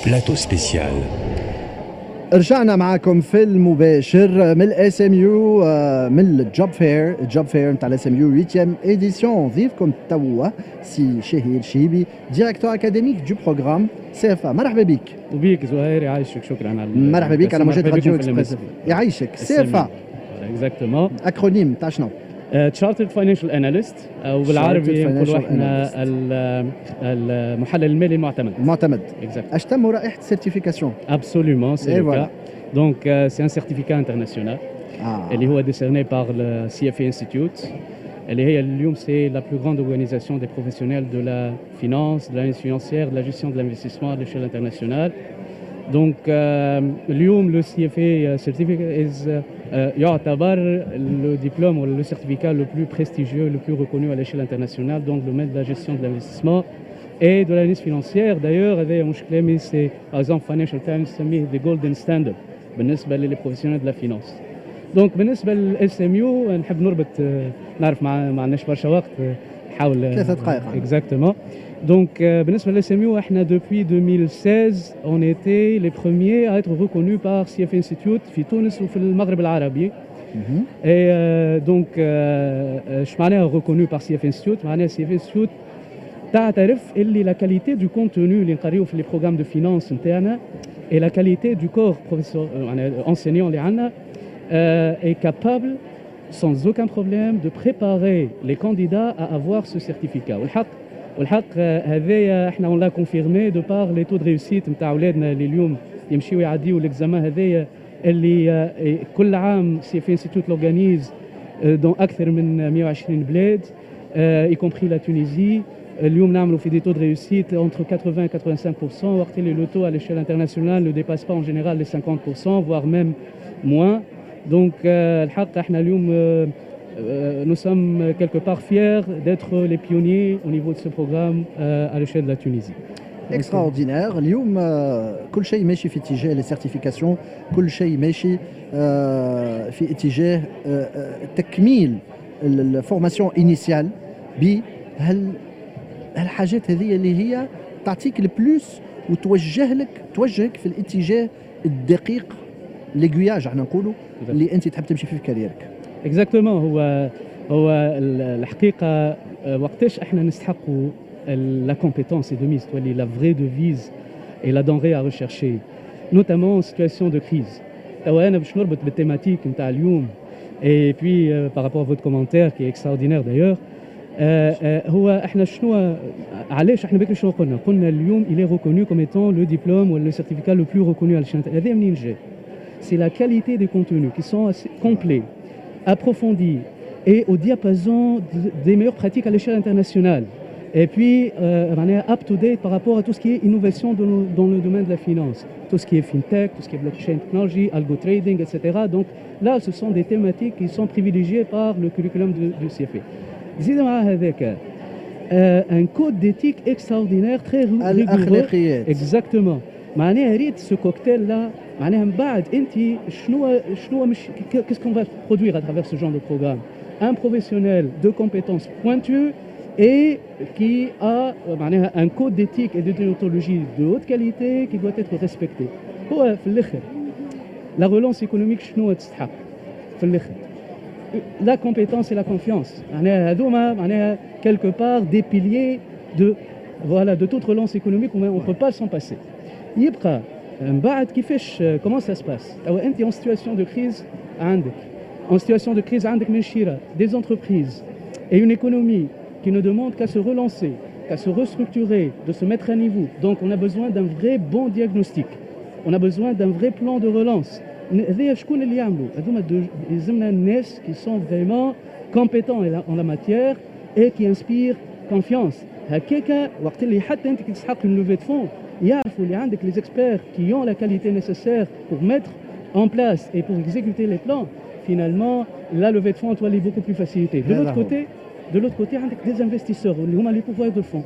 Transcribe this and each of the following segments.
Plateau spécial. رجعنا معكم في المباشر من ال SMU، من ال job fair، ال job fair نتاع ال SMU 8 édition. ضيفكم توا سي شهير شيبي، directeur académique du programme CFA. مرحبا بك. وبيك زهير، يعيشك، شكرا على مرحبا بك على موجات راديو اكسبريس. يعيشك. CFA. Exactement. Acronyme تاع شنو؟ Chartered Financial Analyst، او بالعربي نقولوا احنا المحلل المالي المعتمد. المعتمد. Exact. اشتم رائحه certification. Absolument, c'est le cas. Donc c'est un certificat international اللي هو décerné par le CFA Institute، اللي هي اليوم c'est la plus grande organisation des professionnels de la finance, de l'analyse financière, de la gestion de l'investissement à l'échelle internationale. Donc اليوم le CFA certificate is يعتبر le diplôme ou le certificat le plus prestigieux, le plus reconnu à l'échelle internationale dans le domaine de la gestion de l'investissement et de l'analyse financière. D'ailleurs, هذا مش كلامي، c'est par exemple Financial Times تسميه the golden standard بالنسبة لل professionnels de la finance. Donc بالنسبة لل SMU نحب نربط، نعرف ما عندناش برشا وقت، نحاول. 3 دقائق. Exactement. Donc بالنسبة لل SMU، احنا depuis 2016 on était les premiers à être reconnus par CFA Institute في تونس وفي المغرب العربي. Et donc اش معناها reconnu par CFA Institute؟ معناها CFA Institute تعترف اللي la qualité du contenu اللي نقريو في les programmes de finance نتاعنا et la qualité du corps professeur enseignant اللي عندنا est capable sans aucun problème de préparer les candidats à avoir ce certificat. والحق هذايا احنا on l'a confirmé de par les taux de réussite نتاع اولادنا اللي اليوم يمشيو يعديو l'examen هذايا، اللي كل عام CFA Institute l'organise dans اكثر من 120 بلاد، y compris la Tunisie. اليوم نعملوا في des taux de réussite entre 80 et 85%، وقت اللي le taux à l'échelle internationale ne dépasse pas en général les 50%, voire même moins. Donc الحق احنا اليوم nous sommes quelque part fiers d'être les pionniers au niveau de ce programme à l'échelle de la Tunisie. Extraordinaire. اليوم كل شيء ماشي في اتجاه les certifications، كل شيء ماشي في اتجاه تكميل ال formation initiale بهال هالحاجات هذه اللي هي تعطيك ال plus وتوجه لك توجهك في الاتجاه الدقيق، l'aiguillage احنا نقولوا، اللي انت تحب تمشي فيه في carrière ك. Exactement. هو الحقيقه وقتاش احنا نستحقوا la compétence est de mise، تولي la vraie devise et la denrée à rechercher, notamment en situation de crise. توا انا باش نربط بال thématique نتاع اليوم et puis par rapport à votre commentaire qui est extraordinaire d'ailleurs، هو احنا شنو علاش احنا بكري شنو قلنا؟ قلنا اليوم il est reconnu comme étant le diplôme ou le certificat le plus reconnu à l'échelle. هذا منين جاي؟ C'est la qualité des contenus qui sont assez complets, approfondis et au diapason des meilleures pratiques à l'échelle internationale. Et puis, معناها up to date par rapport à tout ce qui est innovation dans le domaine de la finance. Tout ce qui est fintech, tout ce qui est blockchain technology, algo trading, etc. Donc là, ce sont des thématiques qui sont privilégiées par le curriculum du CFA. زيد مع هذاك un code d'éthique extraordinaire, très rigoureux. الاخلاقيات. Exactement. معناها ريت ce cocktail-là، معناها من بعد انت شنو مش qu'est-ce qu'on va produire à travers ce genre de programme؟ Un professionnel de compétences pointues et qui a معناها un code d'éthique et de déontologie de haute qualité qui doit être respecté. هو في الاخر la relance économique شنو تستحق في الاخر؟ La compétence et la confiance. معناها هذوما معناها quelque part des piliers de voilà de toute relance économique، on ne peut pas s'en passer. يبقى من بعد كيفاش، comment ça se passe؟ توا انت en situation de crise، عندك en situation de crise عندك من شيرة des entreprises et une économie qui ne demande qu'à se relancer, qu'à se restructurer, de se mettre à niveau. Donc on a besoin d'un vrai bon diagnostic. On a besoin d'un vrai plan de relance. هذايا شكون اللي يعملوا؟ هذوما يلزمنا الناس qui sont vraiment compétents en la matière et qui inspirent confiance. هكاكا وقت اللي حتى انت كي تسحق une levée de fonds، يعرفوا اللي عندك les experts qui ont la qualité nécessaire pour mettre en place et pour exécuter les plans. Finalement, la levée de fonds تولي beaucoup plus facilitée. De l'autre côté, de l'autre côté عندك des investisseurs اللي هما les pourvoyeurs de fonds.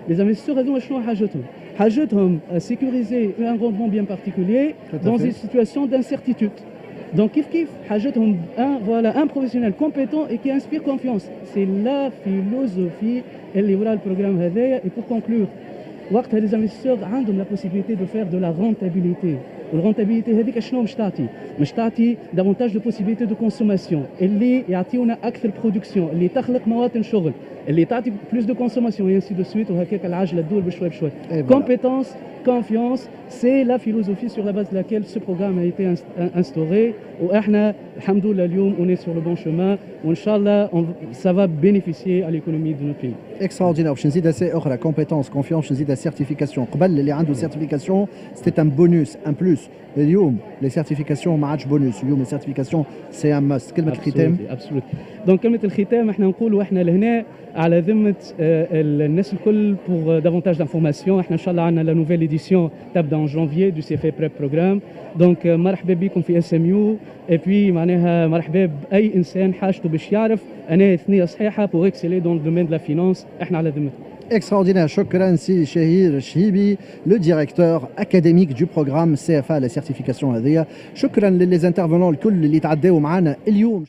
Les investisseurs هذوما شنو حاجتهم؟ حاجتهم sécuriser un rendement bien particulier dans une situation d'incertitude. Donc كيف كيف حاجتهم un voilà un professionnel compétent et qui inspire confiance. C'est la philosophie اللي وراء ال programme هذايا. Et pour conclure، وقتها les investisseurs عندهم la possibilité de faire de la rentabilité. وال rentabilité هذيك شنو مش تعطي؟ مش تعطي davantage de possibilités de consommation اللي يعطيونا اكثر production، اللي تخلق مواطن شغل، اللي تعطي plus de consommation، ainsi de suite، وهكاك العجلة تدور بشوي بشوي. Compétence, confiance, c'est la philosophie sur la base de laquelle ce programme a été instauré. واحنا الحمد لله اليوم on est sur le bon chemin، وان شاء الله ça va bénéficier à l'économie de notre pays. Extraordinaire. باش نزيد C اخرى، compétence, confiance، باش نزيد certification. قبل اللي عنده certification, c'était un bonus, un plus. اليوم les certifications ما عادش بونوس، اليوم les certifications, c'est un must. كلمة الختام. Absolument. Donc كلمة الختام، احنا نقولوا احنا لهنا على ذمه الناس الكل. Pour davantage d'informations، احنا ان شاء الله عندنا la nouvelle édition تبدا en janvier du CFA Prep Program. Donc مرحبا بكم في SMU et puis معناها مرحبا باي انسان حاجته باش يعرف انا ثنيه صحيحه pour exceller dans le domaine de la finance. احنا على ذمتكم. Extraordinaire. شكرا سي شهير شهيبي، le directeur académique du programme CFA, la certification هذه. شكرا ل les intervenants الكل اللي تعداوا معنا اليوم.